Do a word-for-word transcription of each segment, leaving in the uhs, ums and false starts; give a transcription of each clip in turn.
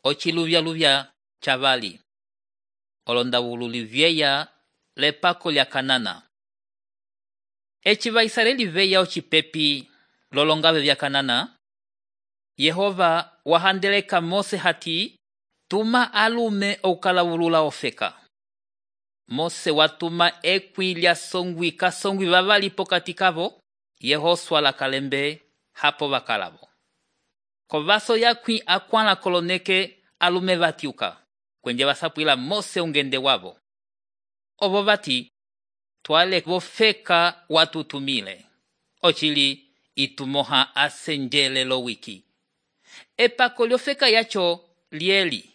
ociluvya-luvya cavali. Olondawululi vyeya lepako lya Kanana. Eci Vaisraeli veya ocipepi lolongave vya Kanana, Yehova wahandeleka Mose hati tuma alume oukalavulula ofeka. Mose watuma ekwi lya songwi kasongwi vavali pokati kavo, Yehosua la kalembe hapo vakalavo. Kovaso yakwi akwala koloneke alume vatiuka, kwenje vasapwila Mose ungende wavo. Ovo vati, twale vofeka watutumile. Ochili itumoha asenjele lo wiki. Epako lyofeka yacho lieli.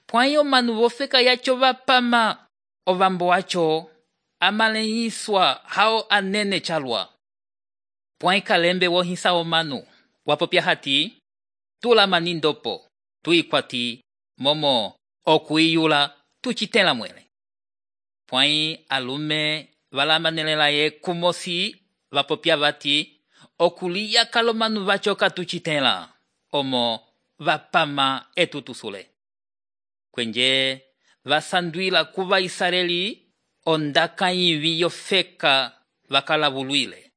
Pwayo manu vofeka yacho vapama. Ovambo wacho amaleiswa hao anene chalwa. Pwai kalembe wohisa omanu. Wapopya hati, tula manindopo, tuikwati, momo, okuiyula, tuchitela mwele. Pwai alume valamanelelaye kumosi, vapopya vati, okuliya kalomanu vachoka tuchitela, omo vapama etutusule. Kwenje vasandwila kuva Israeli ondaka yivi yofeka vakalavuluile.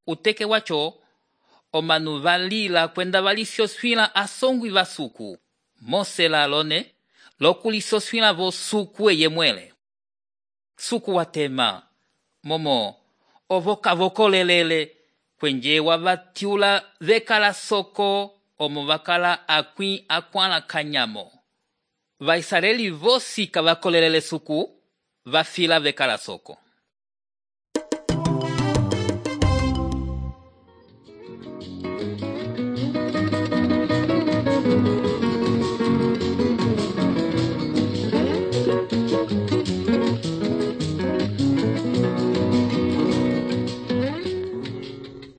Uteke wacho, omanu valila kwenda valisoswila asongwi vasuku. Mose la alone, lokulisoswila vo suku eye mwele. Suku watema, momo, ovoka vokolelele, kwenje wavatiula vekala soko, omo vakala akwi akwala kanyamo. Vaisraeli vosi kavakolelele suku, vafila vekala soko.